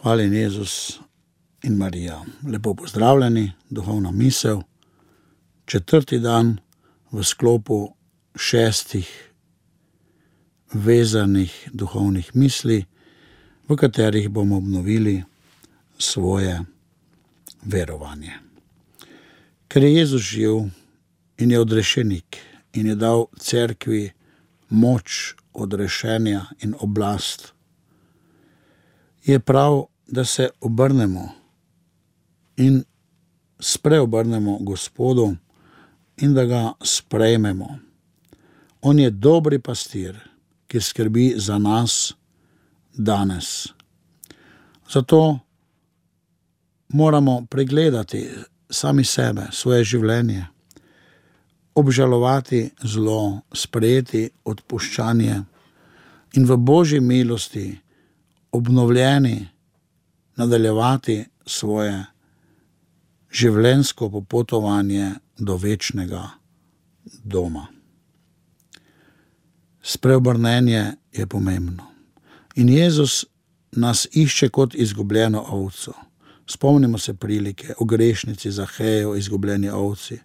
Hvaljen Jezus in Marija. Lepo pozdravljeni, duhovna misel. 4. dan v sklopu 6 vezanih duhovnih misli, v katerih bomo obnovili svoje verovanje. Ker je Jezus živ in je odrešenik in je dal cerkvi moč odrešenja in oblast, je prav, da se obrnemo in spreobrnemo Gospodu in da ga sprejmemo. On je dobri pastir, ki skrbi za nas danes. Zato moramo pregledati sami sebe, svoje življenje, obžalovati zlo, sprejeti odpuščanje in v Božji milosti obnovljeni nadaljevati svoje življenjsko popotovanje do večnega doma. Spreobrnenje je pomembno. In Jezus nas išče kot izgubljeno ovco. Spomnimo se prilike o grešnici Zaheju, izgubljeni ovci.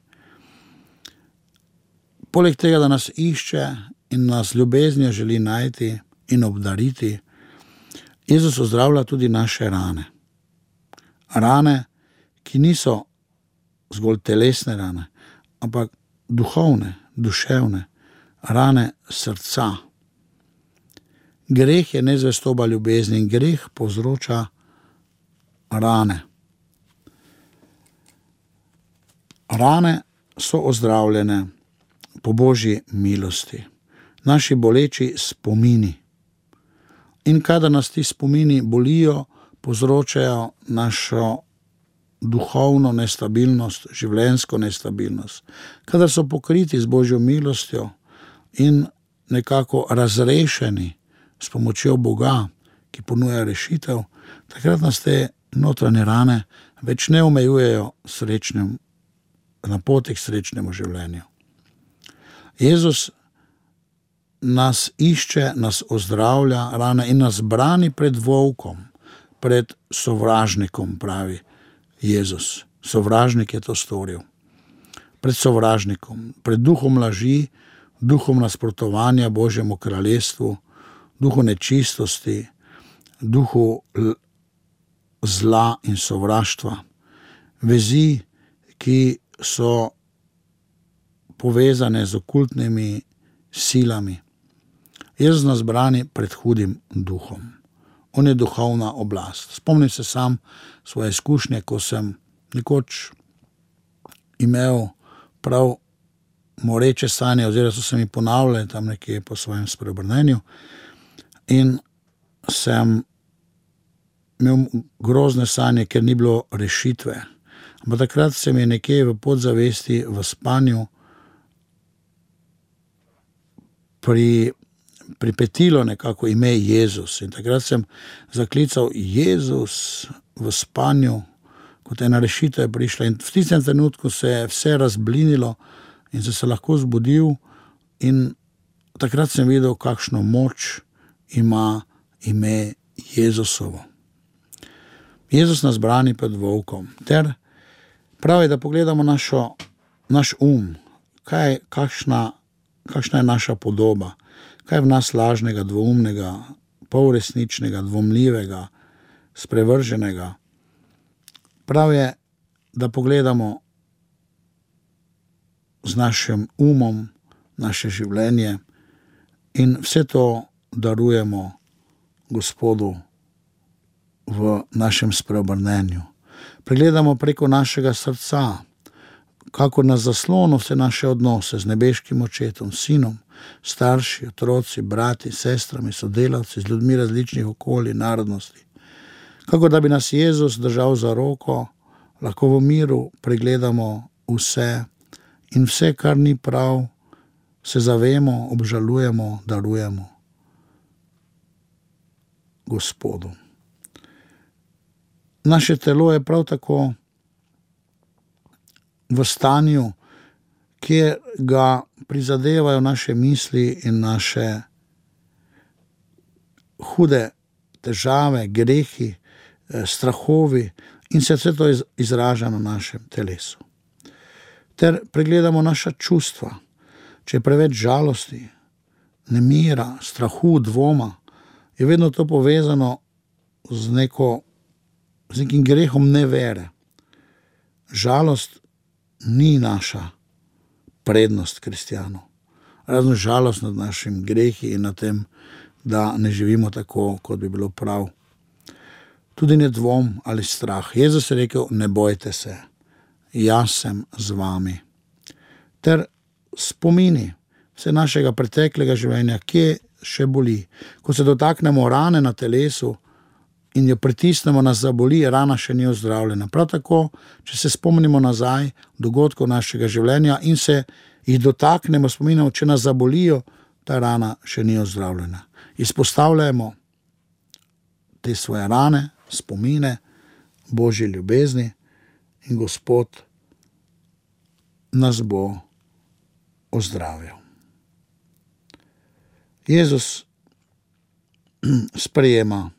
Poleg tega, da nas išče in nas ljubeznijo želi najti in obdariti, Jezus ozdravlja tudi naše rane. Rane, ki niso zgolj telesne rane, ampak duhovne, duševne, rane srca. Greh je nezvestoba ljubezni in greh povzroča rane. Rane so ozdravljene po Božji milosti. Naši boleči spomini. In kadar nas ti spomini bolijo, povzročajo našo duhovno nestabilnost, življenjsko nestabilnost. Kadar so pokriti z Božjo milostjo in nekako razrešeni s pomočjo Boga, ki ponuja rešitev, takrat nas te notranje rane več ne omejujejo na poti k srečnemu življenju. Jezus nas išče, nas ozdravlja rane in nas brani pred volkom, pred sovražnikom, pravi Jezus. Sovražnik je to storil. Pred sovražnikom, pred duhom laži, duhom nasprotovanja Božjemu kraljestvu, duhu nečistosti, duhu zla in sovraštva. Vezi, ki so povezane z okultnimi silami. Jezus nas brani pred hudim duhom. On je duhovna oblast. Spomnim se sam svoje izkušnje, ko sem nekoč imel prav moreče sanje, oziroma so se mi ponavljali tam nekje po svojem spreobrnenju in sem imel grozne sanje, ker ni bilo rešitve. Ampak takrat se mi je nekje v podzavesti, v spanju pripetilo nekako ime Jezus. In takrat sem zaklical Jezus v spanju, kot ena rešitev je prišla. In v tistem trenutku se je vse razblinilo in sem se lahko zbudil in takrat sem videl, kakšno moč ima ime Jezusovo. Jezus nas brani pred volkom. Ter pravi, da pogledamo naš kakšna je naša podoba, kaj je v nas lažnega, dvoumnega, polresničnega, dvomljivega, sprevrženega. Prav je, da pogledamo z našim umom naše življenje in vse to darujemo Gospodu v našem spreobrnenju. Pregledamo preko našega srca, kako na zaslonu vse naše odnose z nebeškim očetom, sinom, starši, otroci, brati, sestrami, sodelavci, z ljudmi različnih okolij, narodnosti. Kako da bi nas Jezus držal za roko, lahko v miru pregledamo vse in vse, kar ni prav, se zavemo, obžalujemo, darujemo Gospodu. Naše telo je prav tako v stanju, kjer ga prizadevajo naše misli in naše hude težave, grehi, strahovi in se vse to izraža na našem telesu. Ter pregledamo naša čustva, če je preveč žalosti, nemira, strahu, dvoma, je vedno to povezano z nekim grehom nevere. Žalost ni naša prednost kristjanov. Razen žalost nad našim grehi in nad tem, da ne živimo tako, kot bi bilo prav. Tudi ne dvom ali strah. Jezus je rekel, ne bojte se, jaz sem z vami. Ter spomini vse našega preteklega življenja, kje še boli. Ko se dotaknemo rane na telesu in jo pritisnemo, nas zaboli, rana še ni ozdravljena. Prav tako, če se spomnimo nazaj dogodkov našega življenja in se jih dotaknemo, spominjamo, če nas zabolijo, ta rana še ni ozdravljena. Izpostavljamo te svoje rane, spomine, Božje ljubezni in Gospod nas bo ozdravil. Jezus sprejema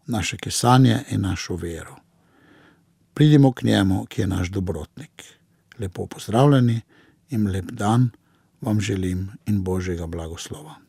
naše kesanje in našo vero. Pridimo k njemu, ki je naš dobrotnik. Lepo pozdravljeni in lep dan vam želim in Božjega blagoslova.